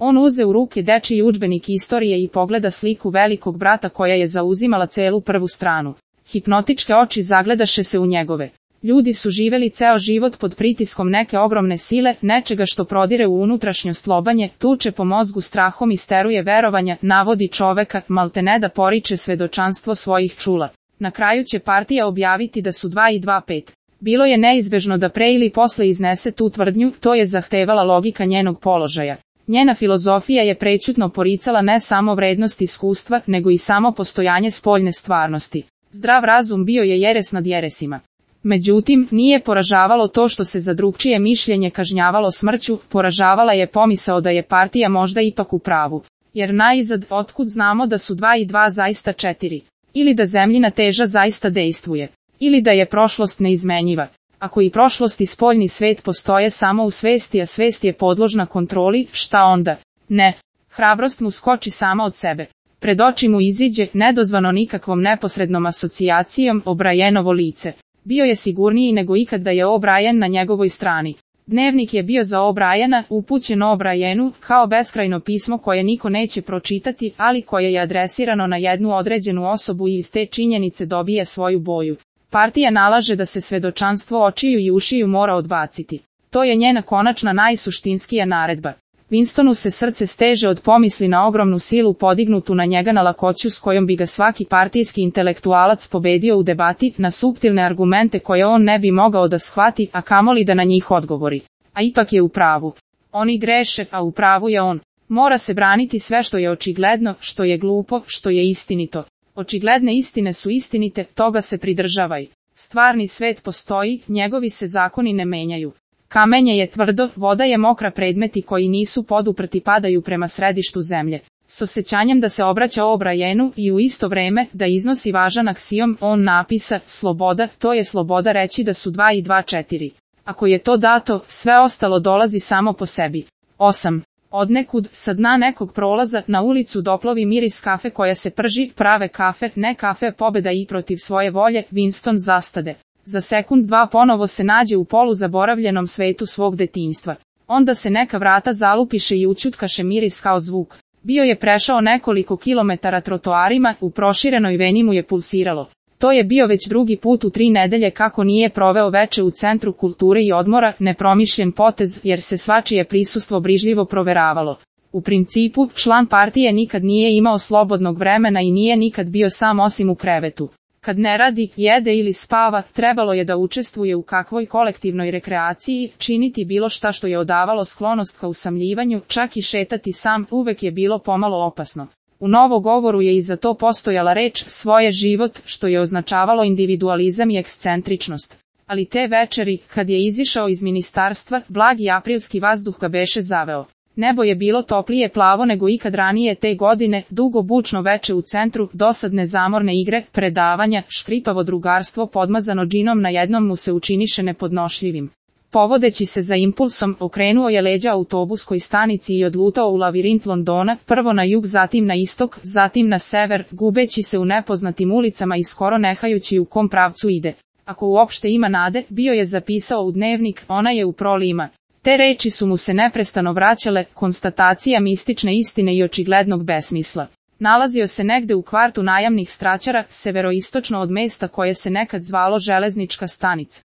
On uze u ruke dečiji udžbenik istorije i pogleda sliku velikog brata koja je zauzimala celu prvu stranu. Hipnotičke oči zagledaše se u njegove. Ljudi su živeli ceo život pod pritiskom neke ogromne sile, nečega što prodire u unutrašnjost lobanje, tuče po mozgu strahom i steruje verovanja, navodi čoveka, maltene da poriče svedočanstvo svojih čula. Na kraju će partija objaviti da su 2 i 2 5. Bilo je neizbežno da pre ili posle iznese tu tvrdnju, to je zahtevala logika njenog položaja. Njena filozofija je prećutno poricala ne samo vrednost iskustva, nego i samo postojanje spoljne stvarnosti. Zdrav razum bio je jeres nad jeresima. Međutim, nije poražavalo to što se za drugčije mišljenje kažnjavalo smrću, poražavala je pomisao da je partija možda ipak u pravu. Jer naizad, otkud znamo da su 2 i 2 zaista 4? Ili da zemljina teža zaista dejstvuje? Ili da je prošlost neizmenjiva? Ako i prošlost i spoljni svet postoje samo u svesti, a svest je podložna kontroli, šta onda? Ne. Hrabrost mu skoči sama od sebe. Pred oči mu iziđe, nedozvano nikakvom neposrednom asocijacijom, O'Brienovo lice. Bio je sigurniji nego ikad da je O'Brien na njegovoj strani. Dnevnik je bio za O'Briena, upućen O'Brienu, kao beskrajno pismo koje niko neće pročitati, ali koje je adresirano na jednu određenu osobu i iz te činjenice dobije svoju boju. Partija nalaže da se svedočanstvo očiju i ušiju mora odbaciti. To je njena konačna najsuštinskija naredba. Winstonu se srce steže od pomisli na ogromnu silu podignutu na njega na lakoću s kojom bi ga svaki partijski intelektualac pobedio u debati, na suptilne argumente koje on ne bi mogao da shvati, a kamoli da na njih odgovori. A ipak je u pravu. Oni greše, a u pravu je on. Mora se braniti sve što je očigledno, što je glupo, što je istinito. Očigledne istine su istinite, toga se pridržavaj. Stvarni svet postoji, njegovi se zakoni ne menjaju. Kamenje je tvrdo, voda je mokra, predmeti koji nisu poduprti padaju prema središtu zemlje. S osjećanjem da se obraća O'Brienu i u isto vreme da iznosi važan aksijom, on napisa, sloboda, to je sloboda reći da su 2 i 2 4. Ako je to dato, sve ostalo dolazi samo po sebi. 8. Odnekud, sa dna nekog prolaza, na ulicu doplovi miris kafe koja se prži, prave kafe, ne kafe pobeda i protiv svoje volje, Winston zastade. Za sekund dva ponovo se nađe u poluzaboravljenom svetu svog detinjstva. Onda se neka vrata zalupiše i ućutkaše miris kao zvuk. Bio je prešao nekoliko kilometara trotoarima, u proširenoj veni mu je pulsiralo. To je bio već drugi put u 3 nedelje kako nije proveo veče u centru kulture i odmora, nepromišljen potez jer se svačije prisustvo brižljivo proveravalo. U principu, član partije nikad nije imao slobodnog vremena i nije nikad bio sam osim u krevetu. Kad ne radi, jede ili spava, trebalo je da učestvuje u kakvoj kolektivnoj rekreaciji, činiti bilo šta što je odavalo sklonost ka usamljivanju, čak i šetati sam, uvek je bilo pomalo opasno. U novogovoru je i za to postojala reč, svoje život, što je označavalo individualizam i ekscentričnost. Ali te večeri, kad je izišao iz ministarstva, blagi aprilski vazduh ga beše zaveo. Nebo je bilo toplije plavo nego ikad ranije te godine, dugo bučno veče u centru, dosadne zamorne igre, predavanja, škripavo drugarstvo podmazano džinom na jednom mu se učiniše nepodnošljivim. Povodeći se za impulsom, okrenuo je leđa autobuskoj stanici i odlutao u lavirint Londona, prvo na jug, zatim na istok, zatim na sever, gubeći se u nepoznatim ulicama i skoro nehajući u kom pravcu ide. Ako uopšte ima nade, bio je zapisao u dnevnik, ona je u prolima. Te reči su mu se neprestano vraćale, konstatacija mistične istine i očiglednog besmisla. Nalazio se negde u kvartu najamnih straćara, severoistočno od mesta koje se nekad zvalo Železnička stanica.